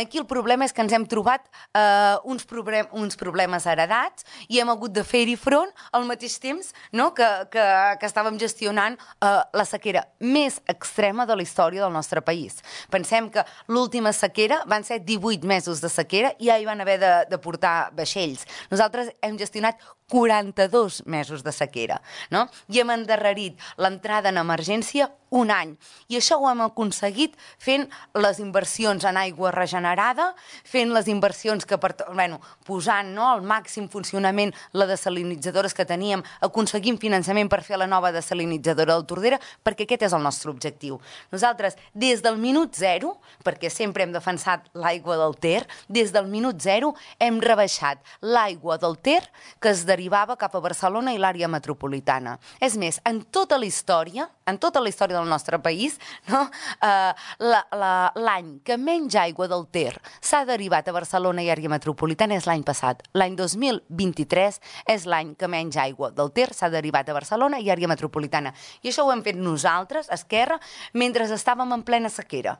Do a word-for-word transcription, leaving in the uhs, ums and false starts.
aquí el problema és que ens hem trobat eh, uns, problem, uns problemes heredats i hem hagut de fer-hi front al mateix temps, no? que, que, que estàvem gestionant eh, la sequera més extrema de la història del nostre país. Pensem que l'última sequera van ser divuit mesos de sequera i ja hi van haver de, de portar vaixells. Nosaltres hem gestionat quaranta-dos mesos de sequera, no? I hem endarrerit l'entrada en emergència un any. I això ho hem aconseguit fent les inversions en aigua regenerada, fent les inversions que, per, bueno, posant, no, al màxim funcionament la desalinitzadora que teníem, aconseguint finançament per fer la nova desalinitzadora del Tordera, perquè aquest és el nostre objectiu. Nosaltres, des del minut zero, perquè sempre hem defensat l'aigua del Ter, des del minut zero hem rebaixat l'aigua del Ter que es derivava cap a Barcelona i l'àrea metropolitana. És més, en tota la història, en tota la història del nostre país, no? uh, l'any que menys aigua del Ter s'ha derivat a Barcelona i àrea metropolitana és l'any passat. L'any dos mil vint-i-tres és l'any que menys aigua del Ter s'ha derivat a Barcelona i àrea metropolitana. I això ho hem fet nosaltres, Esquerra, mentre estàvem en plena sequera.